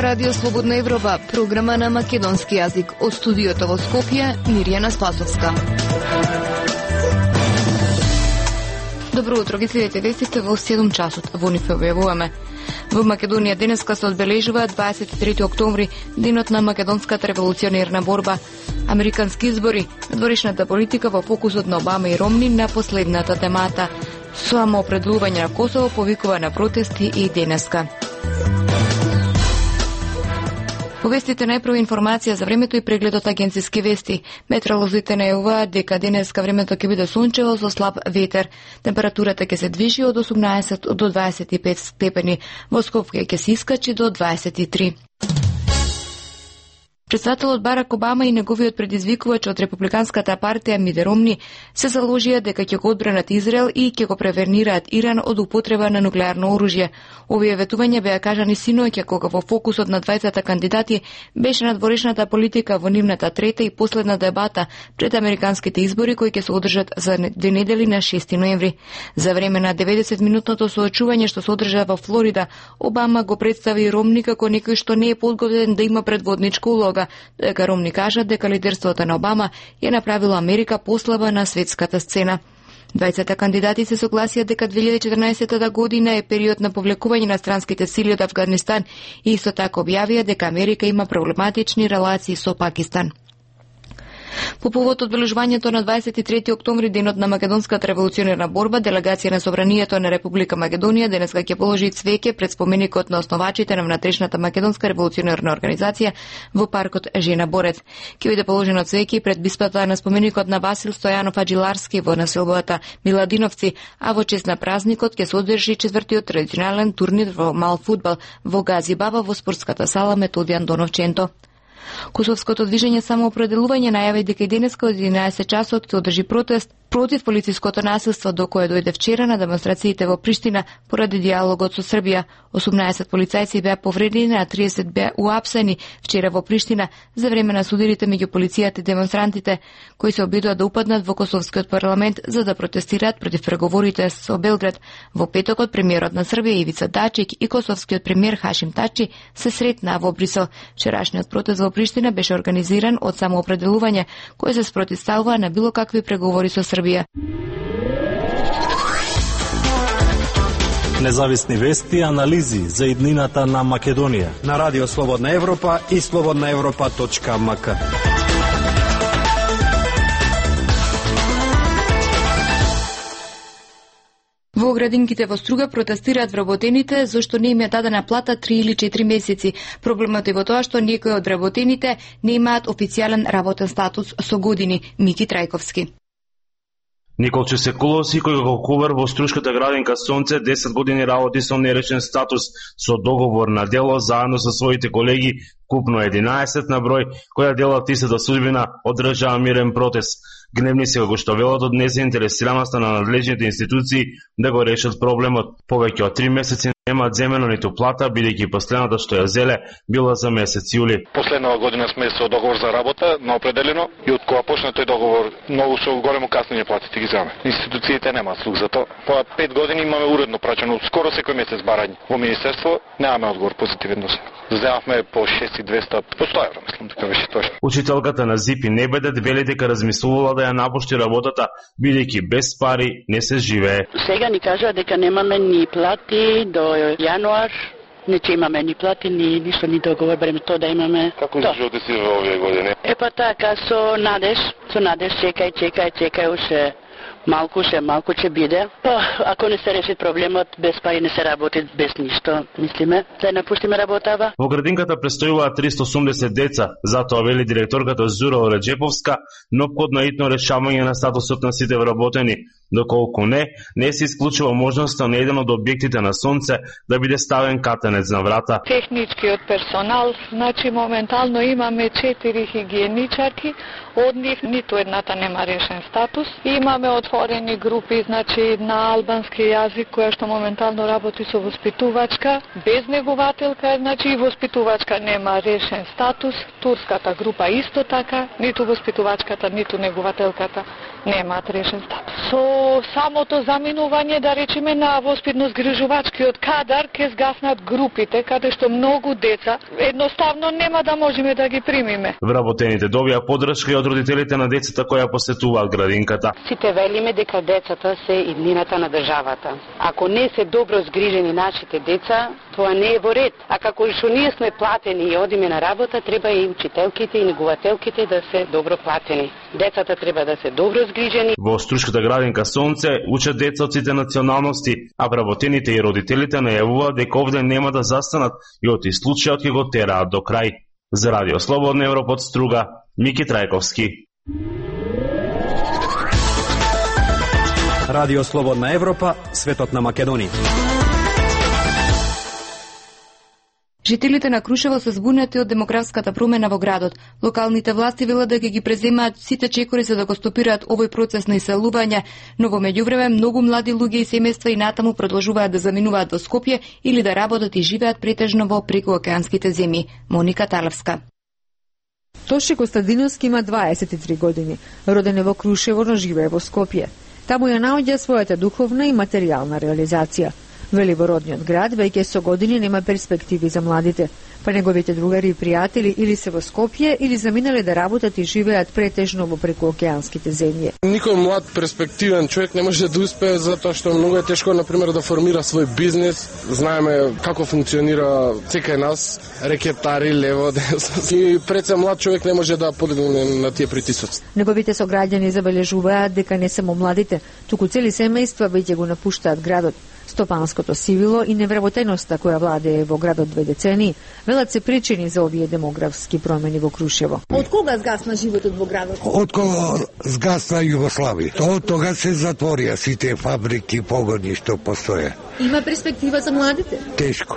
Радио Слободна Европа, програма на македонски јазик. Од студиото во Скопје, Мирјана Спасовска. Добро утро, ги следите вестите во 7 часот. Во нив објавуваме. Во Македонија денеска се одбележува 23 октомври, денот на македонската револуционерна борба. Американски избори, надворешната политика во фокусот на Обама и Ромни на последната темата. Самоопределување на Косово повикува на протести и денеска. Во вестите најпрва информација за времето и прегледот агенциски вести. Метеоролозите најавуваат дека денеска времето ќе биде сончево со слаб ветер. Температурата ќе се движи од 18 до 25 степени. Во Скопје ќе се искачи до 23. Председателот Барак Обама и неговиот предизвикувач од републиканската партија Мит Ромни се заложија дека ќе го одбранат Израел и ќе го превернираат Иран од употреба на нуклеарно оружје. Овие ветувања беа кажани синоќа кога во фокусот на двајцата кандидати беше надворешната политика во нивната трета и последна дебата пред американските избори кои ќе се одржат за 2 недели на 6 ноември. За време на 90-минутното соочување што се одржа во Флорида, Обама го представи Ромни како некој што не е подготвен да има предводничка улога. Дека Ромни кажа дека лидерството на Обама ја направило Америка послаба на светската сцена. Двајцата кандидати се согласија дека 2014 година е период на повлекување на странските сили од Авганистан и исто така објавија дека Америка има проблематични релации со Пакистан. По повод одбележувањето на 23 октомври, денот на македонската револуционерна борба, делегација на Собранието на Република Македонија денеска ќе положи цвеќе пред споменикот на основачите на внатрешната македонска револуционерна организација во паркот Жена Борец. Ќе биде положено цвеќе пред биспата на споменикот на Васил Стојанов Аджиларски во населбата Миладиновци, а во чест на празникот ќе се одржи 4-тиот традиционален турнир во мал фудбал во Гази Баба во спортската сала Методијан Доновченто. Косовското движење самоопределување најави дека и денеска од 11 часот се одржи протест против полициското насилство до кое дојде вчера на демонстрациите во Приштина поради диалогот со Србија. 18 полицајци беа повредени, а 30 беа уапсени вчера во Приштина за време на судирите меѓу полицијата и демонстрантите, кои се обидоа да упаднат во Косовскиот парламент за да протестираат против преговорите со Белград. Во петокот премиерот на Србија Ивица Дачик и косовскиот премиер Хашим Тачи се сретнаа во Брисел. Вчерашниот протест во Приштина беше организиран од самоопределување кој се спротивставува на било какви преговори со Србија. Независни вести и анализи за иднината на Македонија на Радио Слободна Европа и slobodnaevropa.mk. Во градинките во Струга протестираат вработените зашто не им е дадена плата 3 или 4 месеци. Проблемот е во тоа што некои од вработените не имаат официјален работен статус со години. Мики Трајковски. Николче Секуловски, кој го кувар во Струшката градинка Сонце, 10 години работи со нерешен статус, со договор на дело, заедно со своите колеги, купно 11 на број, која делат истата судбина, одржаа мирен протест. Гневни се како што велат од незаинтересираноста на надлежните институции да го решат проблемот. Повеќе од 3 месеци нема земено ниту плата, бидејќи последната што ја зеле била за месец јули. Последнава година сме со договор за работа на определено и од кога почна тој договор многу со големо каснење платите ги земаме. Институциите немаат слух за тоа. По 5 години имаме уредно праќано скоро секој месец барање. Во министерство немаме одговор позитивен до сега. Земавме по 6200 по 100 евро, мислам дека беше точно. Учителката на ЗИПИ Небедет вели дека размислувала да ја напушти работата, бидејќи без пари не се живее. Сега ни кажа дека немаме ни плати до јануар, не че имаме ни плати, ни ништо, ни договор, барем тоа да имаме. Како живеете си во овие години? Епа така, со надеж, чекај, уште малку ќе биде. Ако не се реши проблемот, без пари не се работи, без ништо, мислиме, да напуштиме работава. Во градинката престојуваат 380 деца, затоа вели директорката Зура Ореджеповска, неопходно итно решавање на статусот на сите вработени. Доколку не се исклучува можноста на еден од објектите на Сонце да биде ставен катанец на врата. Техничкиот персонал, значи моментално имаме 4 хигиеничарки, од нив ниту едната нема решен статус. Имаме отворени групи, значи на албански јазик, која што моментално работи со воспитувачка, без негувателка, значи и воспитувачка нема решен статус. Турската група исто така, ниту воспитувачката, ниту негувателката немаат решен статус. Со самото заминување, да речеме, на воспитно-згрижувачкиот кадар ќе згаснат групите, каде што многу деца едноставно нема да можеме да ги примиме. Вработените добија поддршка и од родителите на децата која посетуваат градинката. Сите велиме дека децата се иднината на државата. Ако не се добро згрижени нашите деца, тоа не е во ред. А како што ние сме платени и одиме на работа, треба и учителките и негувателките да се добро платени. Децата треба да се добро згрижени. Во Струшката градинка Сонце учат деца од сите националности, а вработените и родителите најавуваат дека овде нема да застанат и од случајот ќе го тераат до крај. За Радио Слободна Европа од Струга, Мики Трајковски. Радио Слободна Европа, светот на Македонија. Жителите на Крушево се збунети од демографската промена во градот. Локалните власти велат дека ги преземаат сите чекори за да го стопираат овој процес на иселување, но во меѓувреме многу млади луѓе и семејства и натаму продолжуваат да заминуваат во Скопје или да работат и живеат претежно во прекуокеанските земји. Моника Талевска. Тоше Костадиновски има 23 години. Роден е во Крушево, но живее во Скопје. Таму ја наоѓа својата духовна и материјална реализација. Вели во родниот град, веќе со години нема перспективи за младите, па неговите другари и пријатели или се во Скопје или заминале да работат и живеат претежно во прекуокеанските земји. Никој млад перспективен човек не може да успее затоа што многу е тешко на пример да формира свој бизнес. Знаеме како функционира секај нас, рекетари лево, десно. И пред се млад човек не може да подигне на тие притисоци. Неговите сограѓани забележуваат дека не само младите, туку цели семејства веќе го напуштаат градот. Стопанското сивило и невработеноста која владее во градот 2 децении, велат се причини за овие демографски промени во Крушево. Од кога згасна животот во градот? Од кога згасна Југославија. Од тога се затворија сите фабрики, погони што постоја. Има перспектива за младите? Тешко.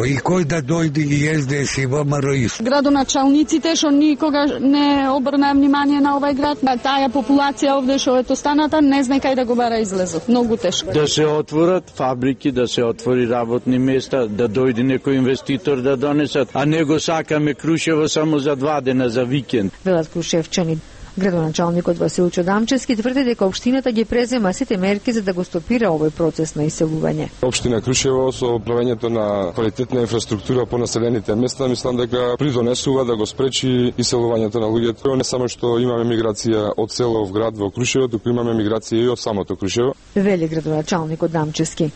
И кој да дојде и СДС и ВМРО. Градоначалниците што никога не обрнаа внимание на овај град, на таа популација овде што ето станата, не знае кај да го бара излезот. Многу тешко. Да се отворат фабрики, да се отвори работни места, да дојде некој инвеститор да донесат, а не го сакаме Крушево само за 2 дена за викенд. Велат крушевчани. Градоначалникот Василчо Дамчевски тврди дека општината ги презема сите мерки за да го стопира овој процес на иселување. Општина Крушево со правењето на квалитетна инфраструктура по населените места, мислам дека придонесува да го спречи иселувањето на луѓето. Не само што имаме миграција од село в град во Крушево, туку имаме миграција и од самото Крушево. Вели градоначалникот Дамчевски.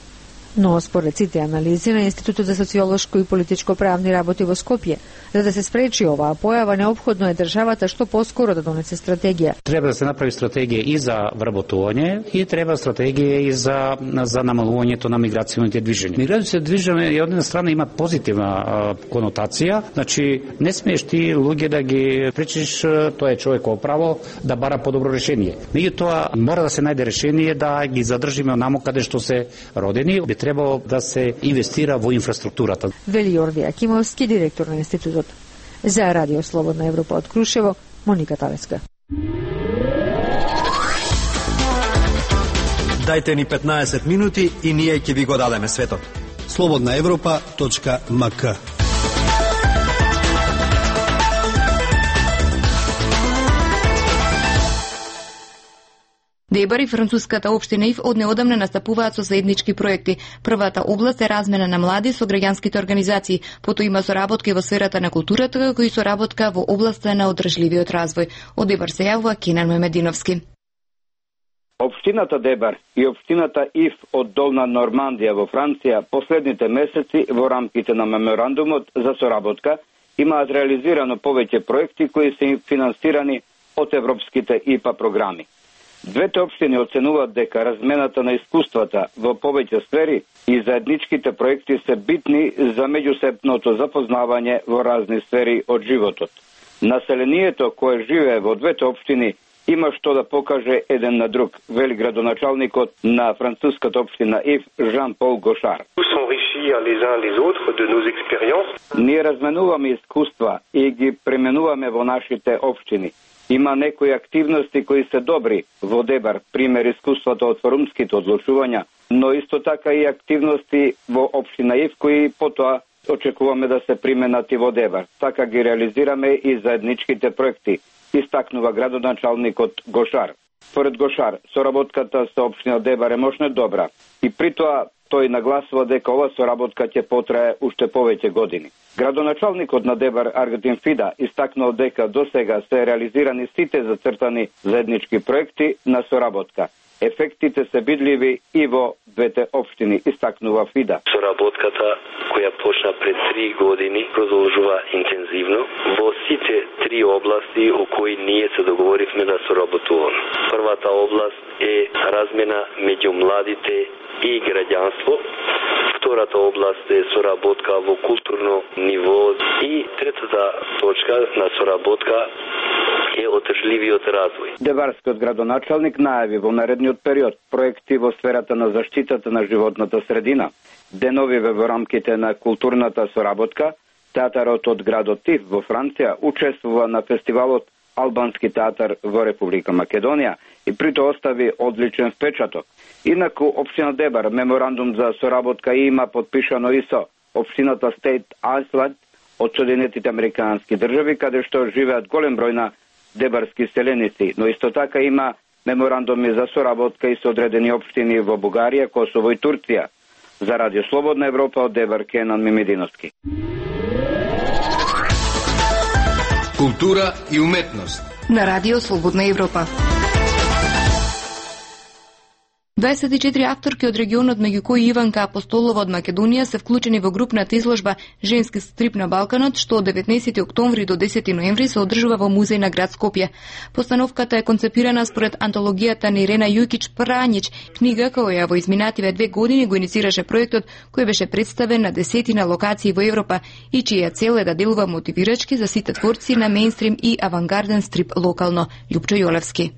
Но според сите анализи на Институтот за социолошко и политичко правни работи во Скопје, за да се спречи оваа појава, неопходно е државата што поскоро да донесе стратегија. Треба да се направи стратегија и за вработување и треба стратегија и за намалувањето на миграционите движења. Миграцијите движење од една страна има позитивна конотација, значи не смееш ти луѓе да ги пречиш, тоа е човеково право да бара подобро решение. Меѓутоа мора да се најде решение да ги задржиме онаму каде што се родени. Требало да се инвестира во инфраструктурата. Вели Јорди Акимовски, директор на институтот. За Радио Слободна Европа од Крушево, Моника Талевска. Дајте ни 15 минути и ние ќе ви го дадеме светот. slobodnaevropa.mk. Дебар и француската општина ИФ од неодамна настапуваат со заеднички проекти. Првата област е размена на млади со граѓанските организации, потоа има соработка во сферата на културата, како и соработка во областа на одржливиот развој. Од Дебар се јавува Кенан Мемединовски. Општината Дебар и општината ИФ од Долна Нормандија во Франција последните месеци во рамките на меморандумот за соработка имаат реализирано повеќе проекти кои се финансирани од европските ИПА програми. Двете општини оценуваат дека размената на искуствата во повеќе сфери и заедничките проекти се битни за меѓусебното запознавање во разни сфери од животот. Населението кое живее во двете општини има што да покаже еден на друг, вели градоначалникот на француската општина ИФ Жан-Пол Гошар. Ние разменуваме искуства и ги пременуваме во нашите општини. Има некои активности кои се добри во Дебар, пример искуството од форумските одлучувања, но исто така и активности во општина ИФ кои потоа очекуваме да се применат и во Дебар. Така ги реализираме и заедничките проекти, истакнува градоначалникот Гошар. Според Гошар, соработката со општина Дебар е мощно добра и при тоа тој нагласува дека ова соработка ќе потрае уште повеќе години. Градоначалникот на Дебар Аргентин Фида истакнал дека досега се реализирани сите зацртани заеднички проекти на соработка. Ефектите се видливи и во двете општини, истакнува Фида. Соработката која почна пред 3 години продолжува интензивно во сите 3 области о кои ние се договоривме да соработуваме. Првата област е размена меѓу младите и граѓанство. Втората област е соработка во културно ниво и третата точка на соработка е одржливиот развој. Дебарскиот градоначалник најави во наредниот период проекти во сферата на заштитата на животната средина, деновиве во рамките на културната соработка. Театарот од градот Тиф во Франција учествува на фестивалот Албански театар во Република Македонија и прито остави одличен впечаток. Инаку општина Дебар меморандум за соработка има подпишано и со општината Стейт Айсланд од Соединетите Американски држави, каде што живеат голем број на дебарски селеници, но исто така има меморандуми за соработка и со одредени општини во Бугарија, Косово и Турција. За Радио Слободна Европа од Дебар, Кенан Мимединовски. Култура и уметност на Радио Слободна Европа. 24 авторки од регионот, меѓу кои Иванка Апостолова од Македонија, се вклучени во групната изложба Женски стрип на Балканот, што од 19 октомври до 10 ноември се одржува во музеј на град Скопје. Постановката е концепирана според антологијата на Ирена Јукич Пранич, книга која во изминативе 2 години го иницираше проектот, кој беше представен на 10 локации во Европа и чија цел е да делува мотивирачки за сите творци на мејнстрим и авангарден стрип локално. Љупчо Јолевски.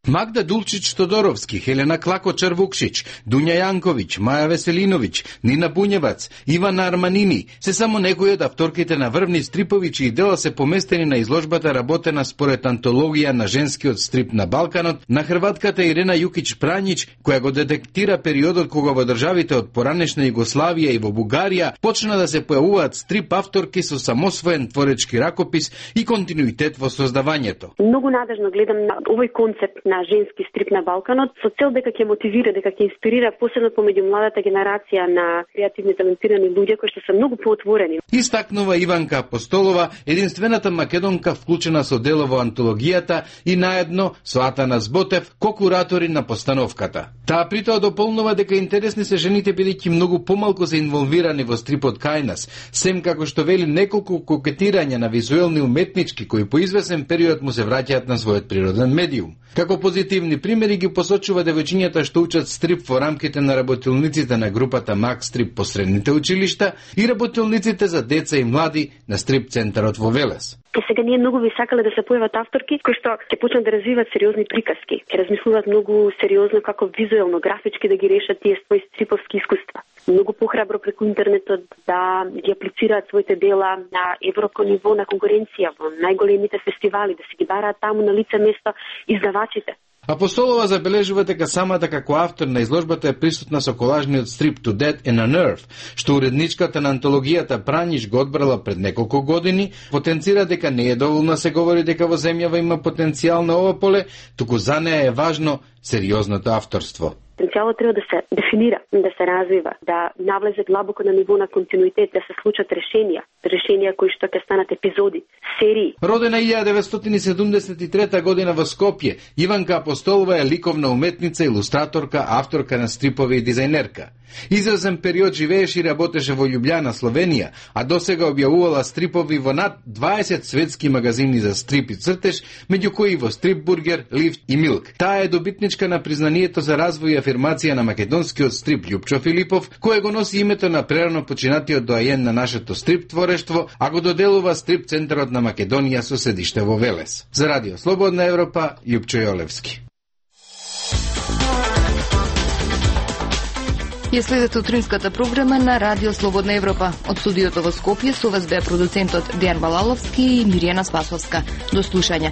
Магда Дулчич-Тодоровски, Хелена Клако-Чарвукшич, Дуња Јанковиќ, Маја Веселиновиќ, Нина Буњевац, Ивана Арманини се само некои од авторките на врвни стрипови чии дела се поместени на изложбата работена според антологија на женскиот стрип на Балканот на хрватката Ирена Јукич Пранич, која го детектира периодот кога во државите од поранешна Југославија и во Бугарија почна да се појавуваат стрип авторки со самосвоен творечки ракопис и континуитет во создавањето. Многу надежно гледам на овој концепт на женски стрип на Балканот со цел дека ќе мотивира, дека ќе инспирира посебно помеѓу младата генерација на креативни талентирани луѓе кои што се многу поотворени. Истакнува Иванка Апостолова, единствената македонка вклучена со дело во антологијата и наедно со Атана Зботев, ко-куратори на постановката. Таа притоа дополнува дека интересни се жените бидејќи многу помалку се инволвирани во стрипот кај нас, сем како што вели неколку кокетирања на визуелни уметнички кои по извесен период му се враќаат на својот природен медиум. Како позитивни примери ги посочува девојчињата што учат стрип во рамките на работилниците на групата Мак Стрип по средните училишта и работилниците за деца и млади на стрип центарот во Велес. Сега ние многу би сакале да се појават авторки кои што ќе почнат да развиваат сериозни приказки, ќе размислуваат многу сериозно како визуелно, графички да ги решат тие своји стриповски искуства. Многу похрабро преку интернетот да ги аплицираат своите дела на европско ниво на конкуренција во најголемите фестивали, да се ги бараат таму на лице место издавачите. Апостолова забележува дека самата како автор на изложбата е присутна со колажниот стрип To Death and a Nerve, што уредничката на антологијата Праниш го одбрала пред неколку години, потенцира дека не е доволно се говори дека во земјава има потенцијал на ова поле, туку за неа е важно сериозното авторство. Потенцијалот треба да се дефинира, да се развива, да навлезе длабоко на ниво на континуитет, да се случат решенија кои што ќе станат епизоди, серии. Родена 1973 година во Скопје, Иванка Апостолова е ликовна уметница, илустраторка, авторка на стрипови и дизајнерка. Извесен период живееше и работеше во Љубљана, Словенија, а досега објавувала стрипови во над 20 светски магазини за стрип и цртеж, меѓу кои во Стрип Бургер, Лифт и Милк. Таа е добитничка на признанието за развој и афирмација на македонскиот стрип Љупчо Филипов, кој го носи името на прерано починатиот доајен на нашето стрип творештво, а го доделува стрип центарот на Македонија со седиште во Велес. За Радио Слободна Европа, Љупчо Јолевски. Ја следете утринската програма на Радио Слободна Европа. Од студиото во Скопје со вас беа продуцентот Дејан Балаловски и Миријана Спасовска. До слушање.